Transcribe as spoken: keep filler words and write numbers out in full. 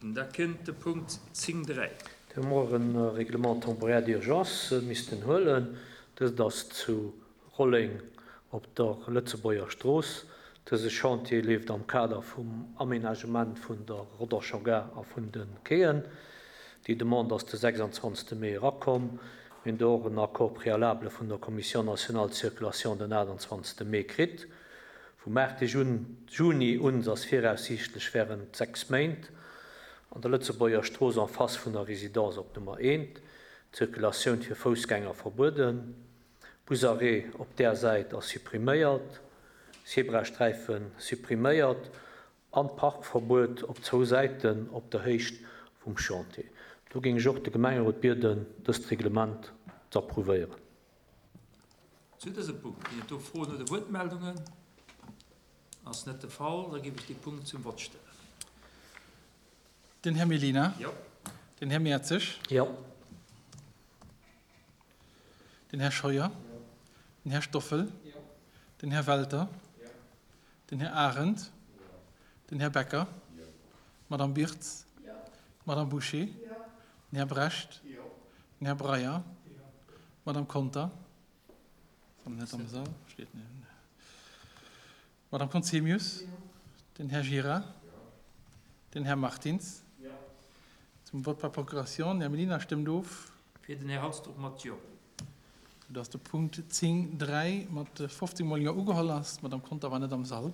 Da kënnt de Punkt zéng dräi. Do hu mer och e Règlement temporaire d'urgence missten huelen. Dëst ass zu Rolleng op der Lëtzebuerger Strooss. Dëse Chantier leeft am Kader vum Aménagement vun der Rodderscher Gare a vun de Quaien. Déi Demande ass de sechsanzwanzegste Mee erakomm. Mir hunn do och en Accord préalable vun der Commission nationale de circulation den aachtanzwanzegste Mee kritt. Vum aachte Juni un ass viraussiichtlech während sechs Méint an der Lëtzebuerger Strooss en face vun der Résidence op Nummer eent d'Zirkulatioun fir Foussgänger verbueden. Busarrêt op där Säit ass suppriméiert, Zebrasträife suppriméiert an d'Parkverbuet op zwou Säiten op der Héicht vum Chantier. Do géing ech och de Gemengerot bieden, dëst Reglement ze approuvéieren. Zu dësem Punkt ginn et do Froen oder Wuertmeldungen? Ass net de Fall. Da géif ech dee Punkt zum Vott stellen. Den Här Mellina. Jo. Den Här Mertzig. Jo. Den Här Scheuer. Den Här Stoffel. Den Här Welter. Den Här Arendt. Den Här Becker. D'Madame Birtz. D'Madame Bouché. Den Här Brecht. Den Här Breyer. D'Madame Conter. Ass net am Sall. Steet net. D'Madame Conzemius. Den Här Gira. Den Här Martins. Zum Vote par procuration. Den Här Mellina stëmmt of. Fir den Här Halsdorf mat Jo. Soudass de Punkt zéng dräi mat fofzéng Mol Jo ugeholl ass. D'Madame Conter war net am Sall.